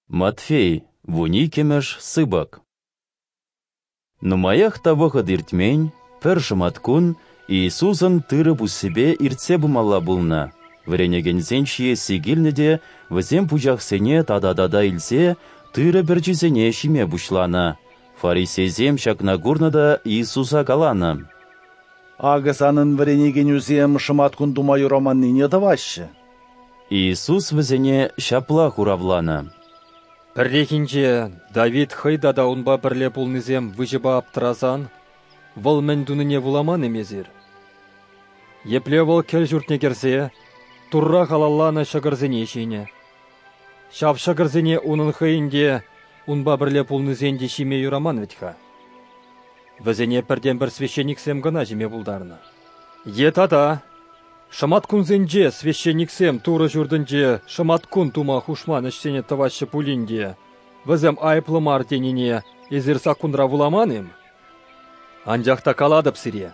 Матфей, вуниккӗмӗш сыпӑк. Нумаях та вӑхӑт иртмен, пӗр шӑматкун Иисусӑн тырӑ пуссипе иртсе пымалла пулнӑ. Вӗренекенсен ҫиесси килнӗ те вӗсем пучахсене тата-тата илсе тырӑ пӗрчисене ҫиме пуҫланӑ. Фарисейсем ҫакна курнӑ та Иисуса каланӑ: «Акӑ санӑн вӗренекенӳсем шӑматкун тума юраманнине тӑваҫҫӗ». Иисус вӗсене ҫапла хуравланӑ: «Пӗррехинче Давид хӑй тата унпа пӗрле пулнисем выҫӑпа аптӑрасан, вӑл мӗн тунине вуламан-им эсир? Епле вӑл кӗл ҫуртне кӗрсе Турра халалланӑ ҫӑкӑрсене ҫинӗ. Ҫав ҫӑкӑрсене унӑн хӑйӗн те, унпа пӗрле пулнисен те ҫиме юраман вӗт-ха. Вӗсене пӗртен-пӗр священниксем кӑна ҫиме пултарнӑ. Е тата шӑматкунсенче священниксем Турӑ ҫуртӗнче шӑматкун тума хушман ӗҫсене тӑваҫҫӗ пулин те, вӗсем айӑплӑ мар тенине эсир саккунра вуламан-им? Анчах та калатӑп сире,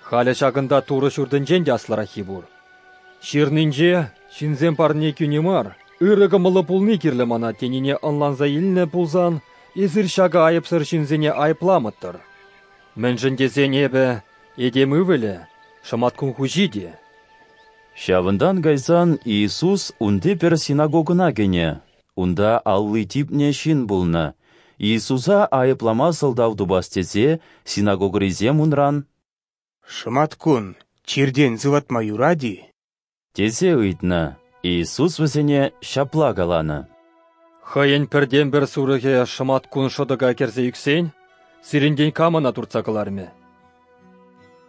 халӗ ҫакӑнта Турӑ ҫуртӗнчен те аслӑраххи пур. Ҫырнинче ҫынсем парне кӳни мар, ырӑ кӑмӑллӑ пулни кирлӗ мана тенине ӑнланса илнӗ пулсан, эсир ҫакӑ айӑпсӑр ҫынсене айӑпламӑттӑр. Мӗншӗн тесен эпӗ, этем ывӑлӗ, шӑматкун хуҫи те». Ҫавӑнтан кайсан Иисус унти пӗр синагогӑна кӗнӗ. Унта алли типнӗ ҫын пулнӑ. Иисуса айӑплама сӑлтав тупас тесе синагогӑрисем унран: «Шӑматкун чиртен сыватма юрать-и?» тесе ыйтнӑ. Иисус вӗсене ҫапла каланӑ: «Хӑйӗн пӗртен-пӗр сурӑхӗ шӑматкун шӑтӑка кӗрсе ӳксен, сирӗнтен кам ӑна туртса кӑлармӗ?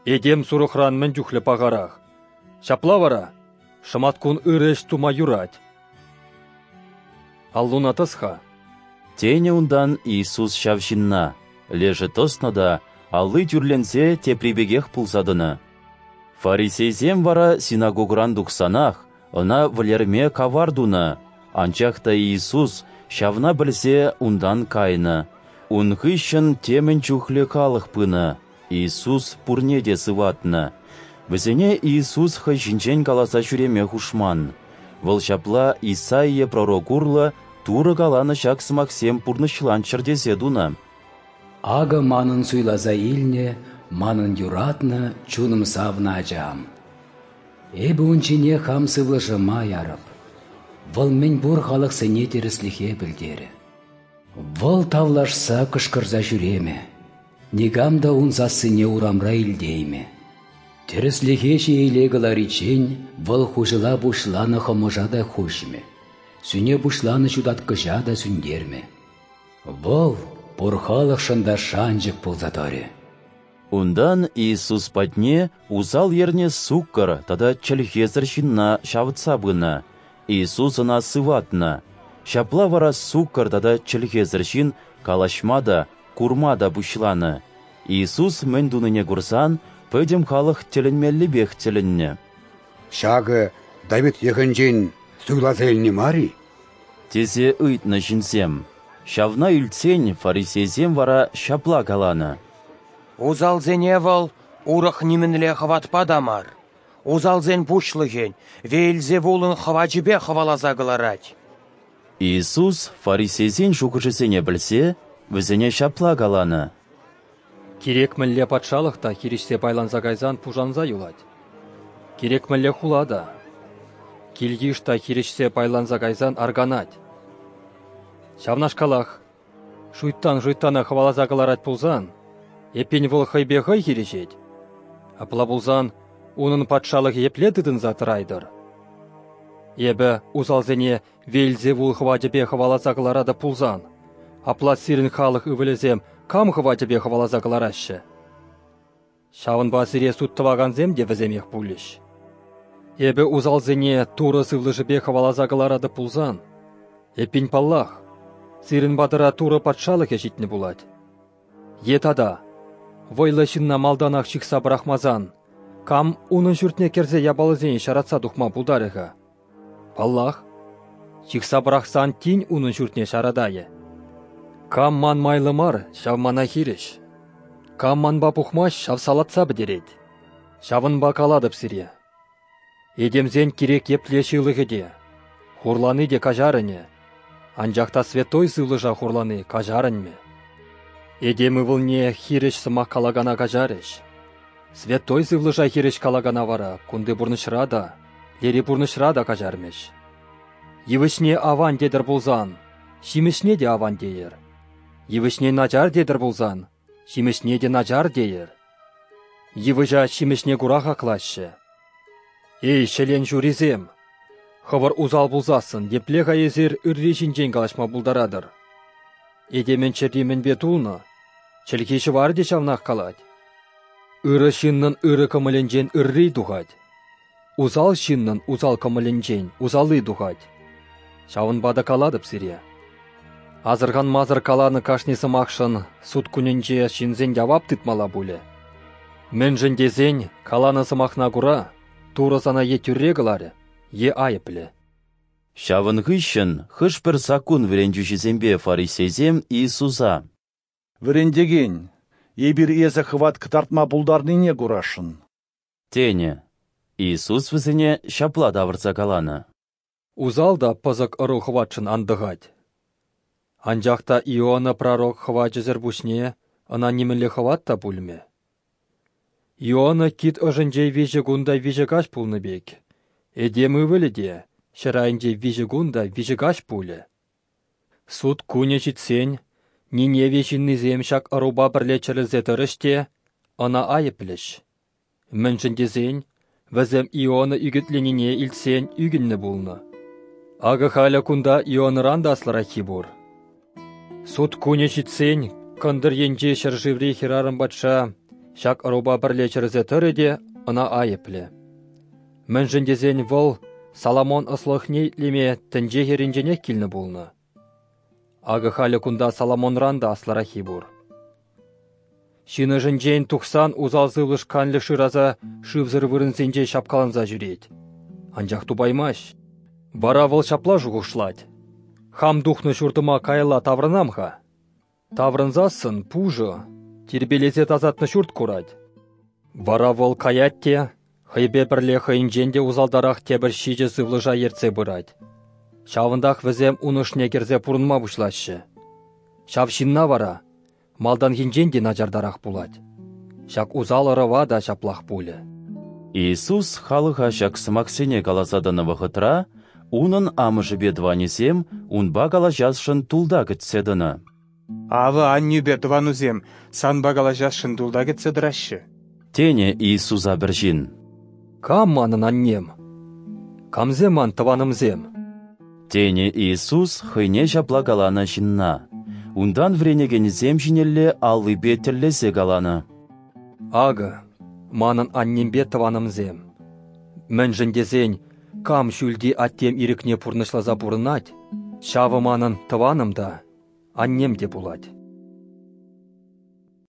Этем сурӑхран мӗн чухлӗ пахарах. Ҫапла вара шӑматкун ырӑ ӗҫ тума юрать. Аллуна тӑс-ха». Тенӗ унтан Иисус ҫав ҫынна. Лешӗ тӑснӑ та алли тӳрленсе тепри пекех пулса тӑнӑ. Фарисейсем вара синагогӑран тухсанах ӑна вӗлерме кавар тунӑ, анчах та Иисус ҫавна пӗлсе унтан кайнӑ. Ун хыҫҫӑн темӗн чухлӗ халӑх пынӑ, Иисус пурне те сыватнӑ. Вӗсене Иисус хӑй ҫинчен каласа ҫӳреме хушман. Вӑл ҫапла Исаия пророк урлӑ Турӑ каланӑ ҫак сӑмахсем пурнӑҫланччӑр тесе тунӑ: «Акӑ манӑн суйласа илнӗ, манӑн юратнӑ, чунӑм савнӑ ачам. Эпӗ ун ҫине хам сывлӑшӑма ярӑп. Вӑл мӗн пур халӑхсене тӗрӗслӗхе пӗлтерӗ. Вӑл тавлашса кӑшкӑрса ҫӳремӗ, никам та ун сассине урамра илтеймӗ. Тӗрӗслӗхе ҫиеле кӑлариччен вӑл хуҫӑла пуҫланӑ хӑмӑша та хуҫмӗ, сӳне пуҫланӑ ҫутаткӑҫа та сӳнтермӗ. Вӑл пур халӑхшӑн та шанчӑк пулса тӑрӗ». Унтан Иисус патне усал ернӗ суккӑр тата чӗлхесӗр ҫынна ҫавӑтса пынӑ. Иисус ӑна сыватнӑ. Ҫапла вара суккӑр тата чӗлхесӗр ҫын калаҫма та, курма та пуҫланӑ. Иисус мӗн тунине курсан пӗтӗм халӑх тӗлӗнмеллипех тӗлӗннӗ. «Ҫакӑ Давид йӑхӗнчен суйласа илни мар-и?» тесе ыйтнӑ ҫынсем. Ҫавна илтсен фарисейсем вара ҫапла каланӑ: «Усалсене вӑл урӑх нимӗнле хӑватпа та мар, усалсен пуҫлӑхӗн Веельзевулӑн хӑвачӗпе хӑваласа кӑларать». Иисус фарисейсен шухӑшӗсене пӗлсе вӗсене ҫапла каланӑ: «Кирек мӗнле патшалӑх та хирӗҫсе пайланса кайсан пушанса юлать. Кирек мӗнле хула та, кил-йыш та хирӗҫсе пайланса кайсан арканать. Ҫавнашкалах шуйттан шуйттана хӑваласа кӑларать пулсан, эппин вӑл хӑйпе хӑй хирӗҫет. Апла пулсан унӑн патшалӑхӗ епле тытӑнса тӑрайтӑр? Эпӗ усалсене Веельзевул хӑвачӗпе хӑваласа кӑларатӑп пулсан, апла сирӗн халӑх ывӑлӗсем кам хӑвачӗпе хӑваласа кӑлараҫҫӗ? Ҫавӑнпа сире суд тӑвакансем те вӗсемех пулӗҫ. Эпӗ усалсене Турӑ сывлӑшӗпе хӑваласа кӑларатӑп пулсан, эппин паллах, сирӗн патӑра Турӑ патшалӑхӗ ҫитнӗ пулать. Е тата, вӑйлӑ ҫынна малтанах ҫыхса пӑрахмасан, кам унӑн ҫуртне кӗрсе япаласене ҫаратса тухма пултарӗ-ха? Паллах, ҫыхса пӑрахсан тин унӑн ҫуртне ҫаратайӗ. Кам ман майлӑ мар, ҫав мана хирӗҫ. Кам манпа пухмасть, ҫав салатса пӗтерет. Ҫавӑнпа калатӑп сире: этемсен кирек епле ҫылӑхӗ те, хурлани те каҫарӑнӗ. Анчах та Святой Сывлӑша хурлани каҫарӑнмӗ. Этем ывӑлне хирӗҫ сӑмах калакана каҫарӗҫ. Святой Сывлӑша хирӗҫ калакана вара кунти пурнӑҫра та, лери пурнӑҫра та каҫармӗҫ. Йывӑҫне аван тетӗр пулсан, ҫимӗҫне те аван тейӗр. Йывӑҫне начар тетӗр пулсан, ҫимӗҫне те начар тейӗр. Йывӑҫа ҫимӗҫне кура хаклаҫҫӗ. Эй, ҫӗлен ҫурисем! Хӑвӑр усал пулсассӑн епле-ха эсир ырри ҫинчен калаҫма пултаратӑр? Этемӗн чӗри мӗнпе тулнӑ, чӗлхи ҫӑварӗ те ҫавнах калать. Ырӑ ҫыннӑн ырӑ кӑмӑлӗнчен ырри тухать. Усал ҫыннӑн усал кӑмӑлӗнчен усалли тухать. Ҫавӑнпа та калатӑп сире. Асӑрханмасӑр каланӑ кашни сӑмахшӑн суд кунӗнче ҫынсен явап тытмалла пулӗ. Мӗншӗн тесен каланӑ сӑмахна кура Турӑ сана е тӳрре кӑларӗ, е айӑплӗ. Ҫавӑн хыҫҫӑн хӑш-пӗр саккун вӗрентӳҫисемпе фарисейсем Иисуса: Вӗрентекен, эпир эсӗ хӑват кӑтартма пултарнине курасшӑн. Тенӗ. Иисус вӗсене ҫапла тавӑрса каланӑ: Усал та пӑсӑк ӑру хӑватшӑн антӑхать. Анчах та Иона пророк хӑвачӗсӗр пуҫне ӑна нимӗнле хӑват та пулмӗ. Иона кит ӑшӗнче 3 кун та 3 каҫ пулнӑ пек, этем ывӑлӗ те ҫӗр айӗнче 3 кун та 3 каҫ пулӗ. Суд кунӗ ҫитсен Ниневи ҫыннисем ҫак ӑрупа пӗрле чӗрӗлсе тӑрӗҫ те ӑна айӑплӗҫ. Мӗншӗн тесен вӗсем Иона ӳкӗтленине илтсен ӳкӗннӗ пулнӑ. Акӑ халӗ кунта Ионӑран та аслӑраххи пур. Суд кунӗ ҫитсен кӑнтӑр енчи ҫӗршыври хӗрарӑм патша ҫак ӑрупа пӗрле чӗрӗлсе тӑрӗ те ӑна айӑплӗ. Мӗншӗн тесен вӑл Соломон ӑслӑхне итлеме тӗнче хӗрринченех килнӗ пулнӑ. Акӑ халӗ кунта Соломонран та аслӑраххи пур. Ҫын ӑшӗнчен тухсан усал сывлӑш канлӗх шыраса шывсӑр вырӑнсенче ҫапкаланса ҫӳрет. Анчах тупаймасть. Вара вӑл ҫапла шухӑшлать: хам тухнӑ ҫуртӑма каялла таврӑнам-ха. Таврӑнсассӑн пушӑ, тирпейлесе тасатнӑ ҫурт курать. Вара вӑл каять те хӑйпе пӗрле хӑйӗнчен те усалтарах тепӗр 7 сывлӑша ертсе пырать. Ҫавӑнтах вӗсем ун ӑшне кӗрсе пурӑнма пуҫлаҫҫӗ. Ҫав ҫынна вара малтанхинчен те начартарах пулать. Ҫак усал ӑрӑва та ҫаплах пулӗ. Иисус халӑха ҫак сӑмахсене каласа тӑнӑ вӑхӑтра унӑн амӑшӗпе тӑванӗсем унпа калаҫасшӑн тулта кӗтсе тӑнӑ. Авӑ аннӳпе тӑванусем санпа калаҫасшӑн тулта кӗтсе тӑраҫҫӗ. Тенӗ Иисуса пӗр ҫын. Кам манӑн аннем? Камсем ман тӑванӑмсем? Тенӗ Иисус хӑйне ҫапла каланӑ ҫынна. Унтан вӗренекенӗсем ҫинелле аллипе тӗллесе каланӑ: Акӑ, манӑн аннемпе тӑванӑмсем. Мӗншӗн тесен, кам ҫӳлти аттем ирӗкне пурнӑҫласа пурӑнать, ҫавӑ манӑн тӑванӑм та, аннем те пулать.